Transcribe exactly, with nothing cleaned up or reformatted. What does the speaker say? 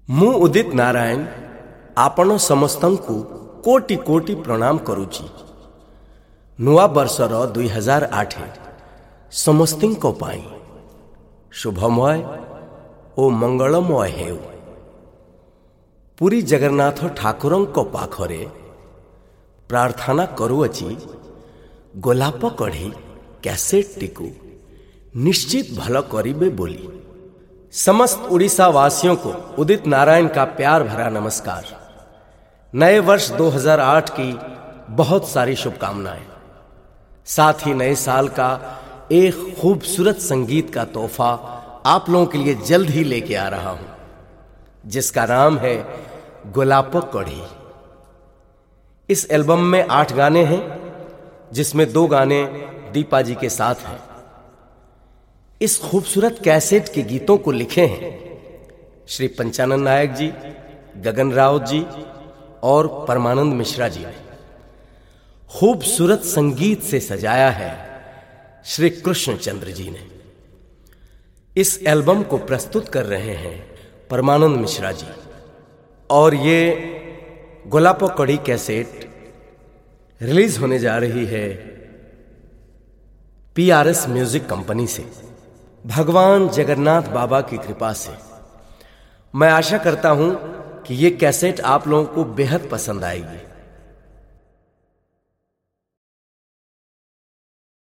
ମୁଁ ଉଦିତ ନାରାୟଣ ଆପଣ ସମସ୍ତଙ୍କୁ କୋଟି କୋଟି ପ୍ରଣାମ କରୁଛି। ନୂଆ ବର୍ଷର ଦୁଇ ହଜାର ଆଠ ସମସ୍ତଙ୍କ ପାଇଁ ଶୁଭମୟ ଓ ମଙ୍ଗଳମୟ ହେଉ। ପୁରୀ ଜଗନ୍ନାଥ ଠାକୁରଙ୍କ ପାଖରେ ପ୍ରାର୍ଥନା କରୁଅଛି, ଗୋଲାପ କଢ଼ି କ୍ୟାସେଟଟିକୁ ନିଶ୍ଚିତ ଭଲ କରିବେ ବୋଲି। समस्त उड़ीसा वासियों को उदित नारायण का प्यार भरा नमस्कार। नए वर्ष दो हज़ार आठ की बहुत सारी शुभकामनाएं। साथ ही नए साल का एक खूबसूरत संगीत का तोहफा आप लोगों के लिए जल्द ही लेके आ रहा हूं, जिसका नाम है गोलाप कढ़ी। इस एल्बम में आठ गाने हैं, जिसमें दो गाने दीपा जी के साथ हैं। इस खूबसूरत कैसेट के गीतों को लिखे हैं श्री पंचानन नायक जी, गगन राउत जी और परमानंद मिश्रा जी ने। खूबसूरत संगीत से सजाया है श्री कृष्ण चंद्र जी ने। इस एल्बम को प्रस्तुत कर रहे हैं परमानंद मिश्रा जी और ये गोलाप कढ़ी कैसेट रिलीज होने जा रही है पीआरएस म्यूजिक कंपनी से। भगवान जगन्नाथ बाबा की कृपा से मैं आशा करता हूं कि ये कैसेट आप लोगों को बेहद पसंद आएगी।